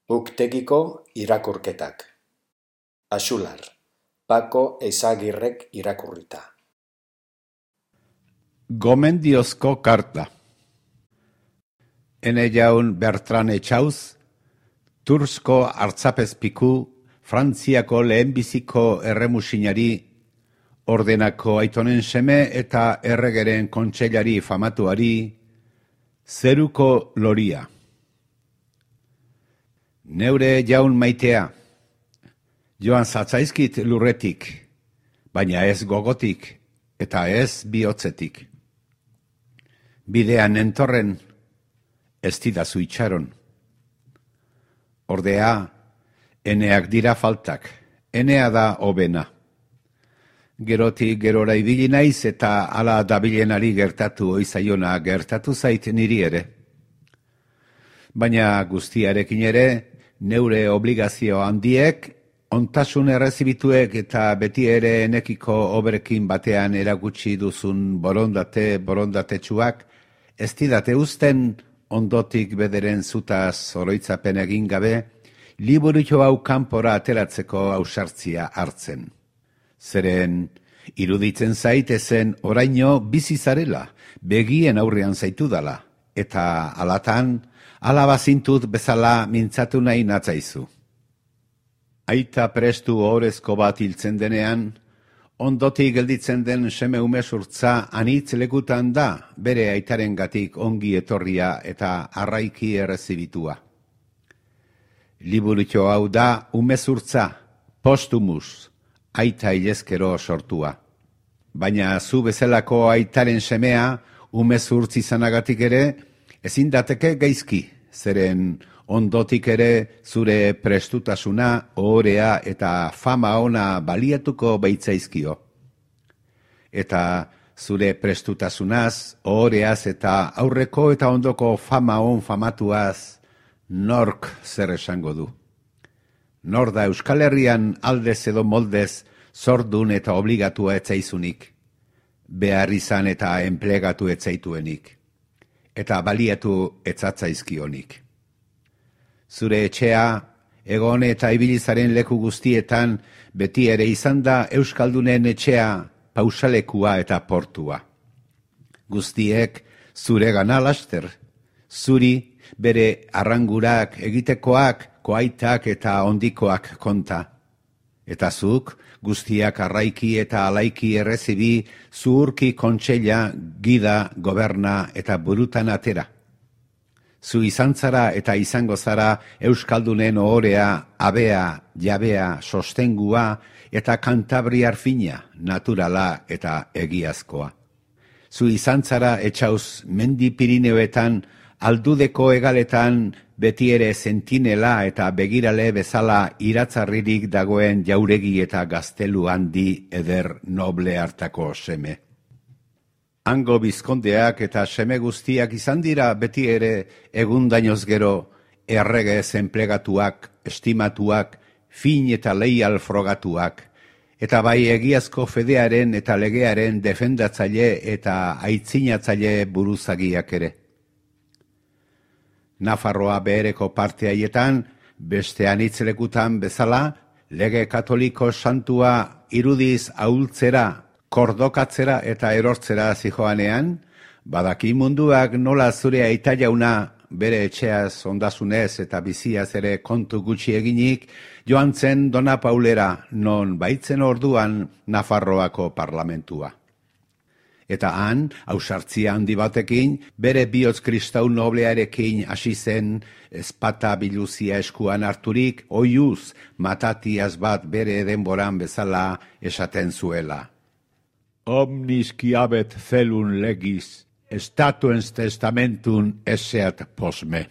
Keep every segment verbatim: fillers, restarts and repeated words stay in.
Uktegiko irakurketak. Axular, Pako Ezagirrek irakurrita. Gomendiozko karta. Ene jaun Bertran Etxauz, Tursko hartzapezpiku, Frantziako lehenbiziko erremusinari, ordenako aitonen seme eta erregeren kontseilari famatuari, zeruko loria. Neure jaun maitea, joan zatzaizkit lurretik, baina ez gogotik eta ez bihotzetik. Bidean entorren, ez didazu itxaron. Ordea, eneak dira faltak, enea da hobena. Gerotik gerora ibili naiz eta hala dabilenari gertatu oizaiona gertatu zait niri ere. Baina guztiarekin ere, neure obligazio handiek, ontasun errezibituek eta beti ere enekiko oberekin batean erakutsi duzun borondate borondatetsuak, ez didate uzten ondotik bederen zutaz oroitzapen egin gabe, liburutxo hau kanpora ateratzeko ausartzia hartzen. Zeren, iruditzen zaitezen oraino bizi zarela, begien aurrean zaitu dala, eta alatan, alabazintut bezala mintzatu nahi natzaizu. Aita prestu ohorezko bat hiltzen denean, ondotik gelditzen den seme umezurtza anitz lekutan da bere aitarengatik ongi etorria eta arraiki errezibitua. Liburutxo hau da umezurtza, postumus, aita hilezkero sortua. Baina zu bezalako aitaren semea, umezurtz izanagatik ere, ezin dateke gaizki, zeren ondotik ere zure prestutasuna, ohorea eta fama ona baliatuko baitzaizkio. Eta zure prestutasunaz, ohoreaz eta aurreko eta ondoko fama on famatuaz, nork zer esango du. Nor da Euskal Herrian aldez edo moldez zordun eta obligatua etzaizunik, behar izan eta enplegatu etzaituenik, eta baliatu etzatzaizkionik. Zure etxea, egon eta ibilizaren leku guztietan, beti ere izan da Euskaldunen etxea, pausalekua eta portua. Guztiek zure gana laster, zuri bere arrangurak egitekoak, koaitak eta ondikoak konta. Eta zuk, guztiak arraiki eta alaiki errezibi, zuhurki kontseila, gida, goberna eta burutan atera. Zu izan zara eta izango zara Euskaldunen ohorea, abea, jabea, sostengua eta kantabriar fina, naturala eta egiazkoa. Zu izan zara Etxauz mendi Pirineoetan, aldudeko egaletan beti ere sentinela eta begirale bezala iratzarririk dagoen jauregi eta gaztelu handi eder noble hartako seme. Hango bizkondeak eta seme guztiak izan dira beti ere egundainoz gero erregez enplegatuak, estimatuak, fin eta leial frogatuak, eta bai egiazko fedearen eta legearen defendatzaile eta aitzinatzaile buruzagiak ere. Nafarroa behereko parte haietan, beste anitzlekutan bezala, lege katoliko santua irudiz ahultzera, kordokatzera eta erortzera zijoanean, badaki munduak nola zure aita jauna bere etxeaz ondasunez eta biziaz ere kontu gutxi eginik, joan zen Dona Paulera non baitzen orduan Nafarroako parlamentua. Eta han, ausartzia handi batekin, bere bihotz kristau noblearekin hasi zen ezpata biluzia eskuan harturik, oiuz matatiaz bat bere denboran bezala esaten zuela. Omnis quiabet celun legis, statuens testamentun eseat posme.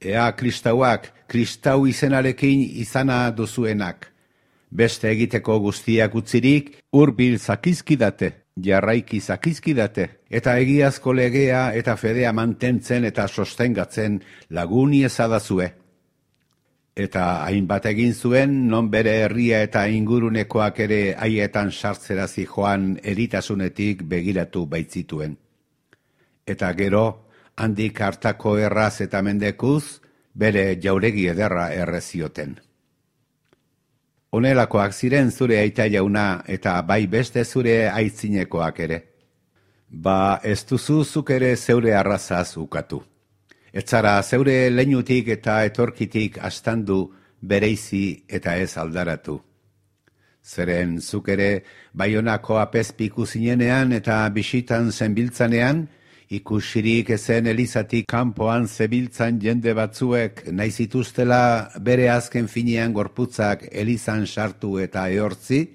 Ea kristauak, kristau izenarekin izana duzuenak. Beste egiteko guztiak utzirik, hurbil zakizkidate. Jarraiki zakizkidate, eta egiazko legea eta fedea mantentzen eta sostengatzen laguni ezadazue. Eta hainbat egin zuen, non bere herria eta ingurunekoak ere haietan sartzera zijoan eritasunetik begiratu baitzituen. Eta gero, handik hartako erraz eta mendekuz, bere jauregi ederra errezioten. Honelakoak ziren zure aita jauna eta bai beste zure aitzinekoak ere. Ba ez duzu zuk ere zeure arrazaz ukatu. Ez zara zeure leinutik eta etorkitik astandu bereizi eta ez aldaratu. Zeren zuk ere Baionako apezpiku zinenean eta bisitan zenbiltzanean, ikusirik ezen elizatik kanpoan zebiltzan jende batzuek nahi zituztela bere azken finean gorputzak elizan sartu eta ehortzi,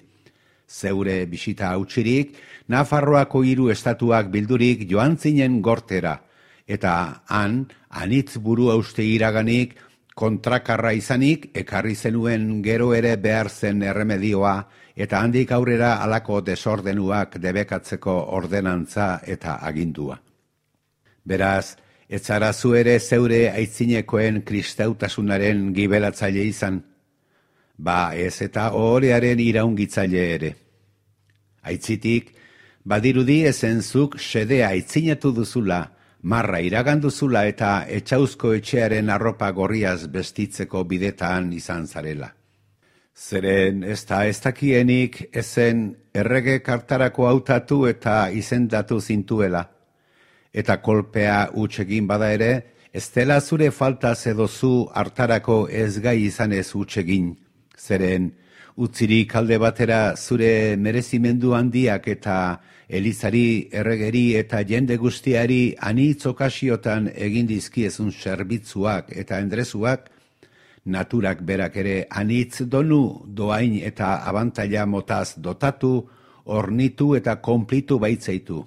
zeure bisita hautsirik, Nafarroako hiru estatuak bildurik joan zinen gortera, eta han, anitz buru hauste iraganik, kontrakarra izanik, ekarri zenuen gero ere behar zen erremedioa, eta handik aurrera halako desordenuak debekatzeko ordenantza eta agindua. Beraz, ez zara zu ere zeure aitzinekoen kristautasunaren gibelatzaile izan, ba ez eta ohorearen iraungitzaile ere. Aitzitik, badirudi ezentzuk sedea aitzinatu duzula, marra iraganduzula eta etxauzko etxearen arropa gorriaz bestitzeko bidetan izan zarela. Zeren ez da ez dakienik ezen errege kartarako hautatu eta izendatu zintuela. Eta kolpea hutsegin bada ere, ez dela zure faltaz edo zu hartarako ez gai izanez hutsegin. Zeren, utzirik alde batera zure merezimendu handiak eta elizari, erregeri eta jende guztiari anitz okasiotan egin dizkiezun zerbitzuak eta endrezuak, naturak berak ere anitz donu doain eta abantaila motaz dotatu, ornitu eta konplitu baitzaitu.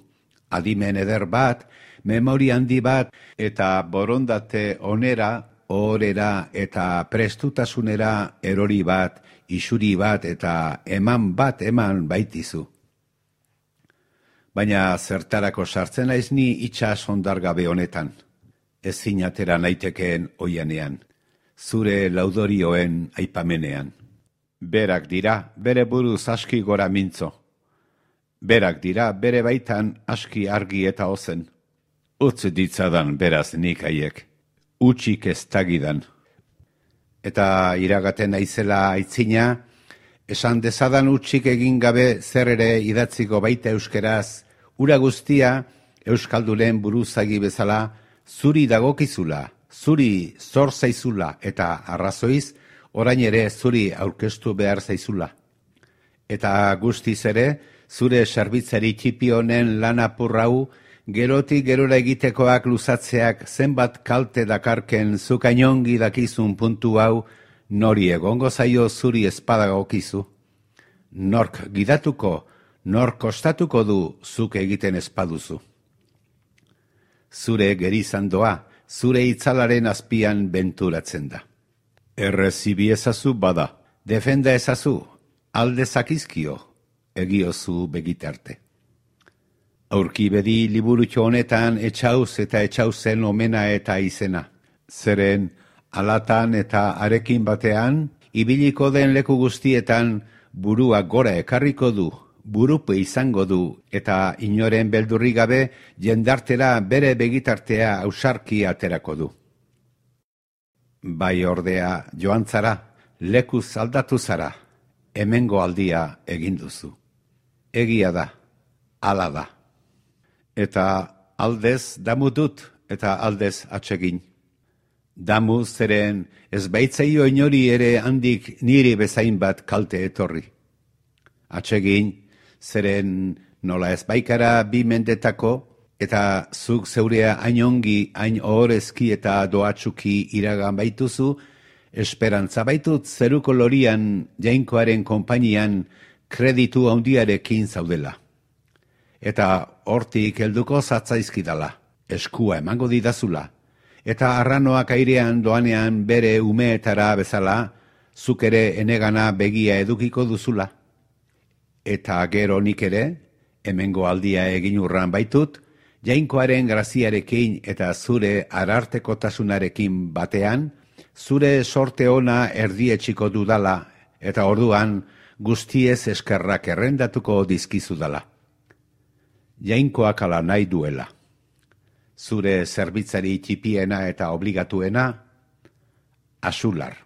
Adimen eder bat, memoria handi bat eta borondate onera, ohorera eta prestutasunera erori bat, isuri bat eta eman bat eman baitizu. Baina zertarako sartzen naiz ni itxas ondargabe honetan, ezin atera naitekeen oianean, zure laudorioen aipamenean. Berak dira bere buruz aski gora mintzo. Berak dira bere baitan aski argi eta ozen. Utz ditzadan beraz nik haiek, utxik ez tagidan. Eta iragaten naizela aitzina, esan dezadan utxik egin gabe zer ere idatziko baita euskeraz, ura guztia euskaldunen buruzagi bezala zuri dagokizula, zuri zor zaizula eta arrazoiz orain ere zuri aurkeztu behar zaizula. Eta guztiz ere, zure zerbitzari txipi honen lan apurrau, gerotik gerora egitekoak luzatzeak zenbat kalte dakarken zukainongi dakizun puntu hau, nori egongo zaio zuri espadagokizu. Nork gidatuko, nork kostatuko du zuk egiten espaduzu. Zure gerizandoa, zure itzalaren azpian benturatzen da. Errezibi ezazu bada, defenda ezazu, alde zakizkio, egiozu begitarte. Aurki bedi liburutxo honetan etxauz eta etxauzen omena eta izena. Zeren, alatan eta arekin batean, ibiliko den leku guztietan burua gora ekarriko du, burupe izango du eta inoren beldurri gabe jendartera bere begitartea ausarki aterako du. Bai ordea joan zara, lekuz aldatu zara, hemengo aldia egin duzu. Egia da, hala da. Eta aldez damu dut eta aldez atsegin. Damu zeren ez baitzaio inori ere handik niri bezain bat kalte etorri. Atsegin zeren nola ez baikara bi mendetako eta zuk zeurea hain ongi, hain ohorezki eta doatsuki iragan baituzu, esperantza baitut zeruko lorian jainkoaren konpainian kreditu handiarekin zaudela. Eta hortik helduko zatzaizkidala, eskua emango didazula, eta arranoak airean doanean bere umeetara bezala, zuk ere enegana begia edukiko duzula. Eta gero nik ere, hemengo aldia egin urran baitut, jainkoaren graziarekin eta zure arartekotasunarekin batean, zure sorte ona erdietxiko dudala, eta orduan guztiez eskerrak errendatuko dizkizudala. Jainkoak ala nahi duela. Zure zerbitzari txipiena eta obligatuena, Axular.